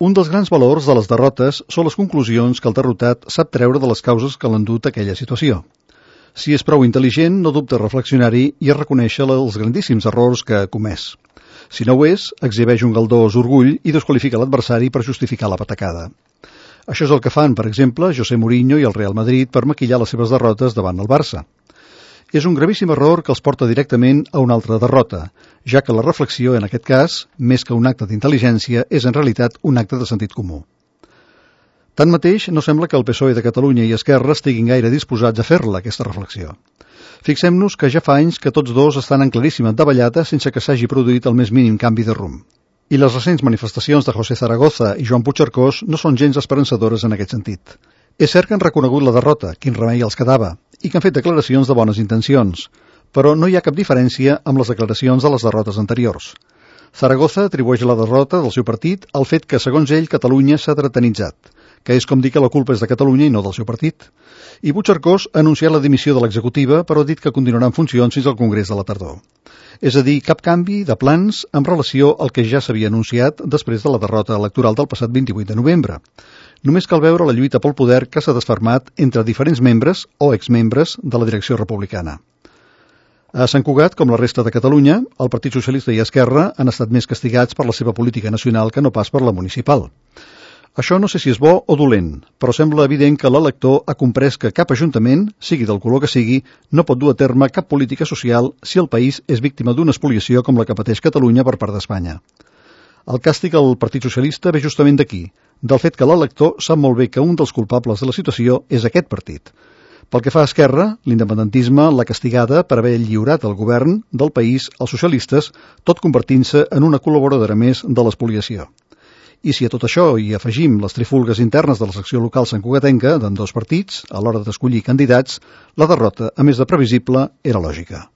Un dels grans valors de les derrotes són les conclusions que el derrotat sap treure de les causes que l'han dut a aquella situació. Si és prou intel·ligent, no dubta a reflexionar-hi i a reconèixer els grandíssims errors que ha comès. Si no ho és, exhibeix un galdós orgull i desqualifica l'adversari per justificar la patacada. Això és el que fan, per exemple, José Mourinho i el Real Madrid per maquillar les seves derrotes davant el Barça. És un gravíssim error que els porta directament a una altra derrota, ja que la reflexió, en aquest cas, més que un acte d'intel·ligència, és en realitat un acte de sentit comú. Tanmateix, no sembla que el PSOE de Catalunya i Esquerra estiguin gaire disposats a fer-la, aquesta reflexió. Fixem-nos que ja fa anys que tots dos estan en claríssima davallada sense que s'hagi produït el més mínim canvi de rumb. I les recents manifestacions de José Zaragoza i Joan Puigcercós no són gens esperançadores en aquest sentit. És cert que han reconegut la derrota, quin remei els quedava, i que han fet declaracions de bones intencions, però no hi ha cap diferència amb les declaracions de les derrotes anteriors. Zaragoza atribueix la derrota del seu partit al fet que, segons ell, Catalunya s'ha dretanitzat, que és com dir que la culpa és de Catalunya i no del seu partit. I Puigcercós ha anunciat la dimissió de l'executiva, però ha dit que continuarà en funcions fins al Congrés de la tardor. És a dir, cap canvi de plans en relació al que ja s'havia anunciat després de la derrota electoral del passat 28 de novembre. Només cal veure la lluita pel poder que s'ha desfermat entre diferents membres o exmembres de la direcció republicana. A Sant Cugat, com la resta de Catalunya, el Partit Socialista i Esquerra han estat més castigats per la seva política nacional que no pas per la municipal. Això no sé si és bo o dolent, però sembla evident que l'elector ha comprès que cap ajuntament, sigui del color que sigui, no pot dur a terme cap política social si el país és víctima d'una espoliació com la que pateix Catalunya per part d'Espanya. El càstig al Partit Socialista ve justament d'aquí, del fet que l'elector sap molt bé que un dels culpables de la situació és aquest partit. Pel que fa a Esquerra, l'independentisme l'ha castigada per haver lliurat el govern del país als socialistes, tot convertint-se en una col·laboradora més de l'espoliació. I si a tot això hi afegim les trifulgues internes de la secció local santcugatenca d'ambdós partits, a l'hora d'escollir candidats, la derrota, a més de previsible, era lògica.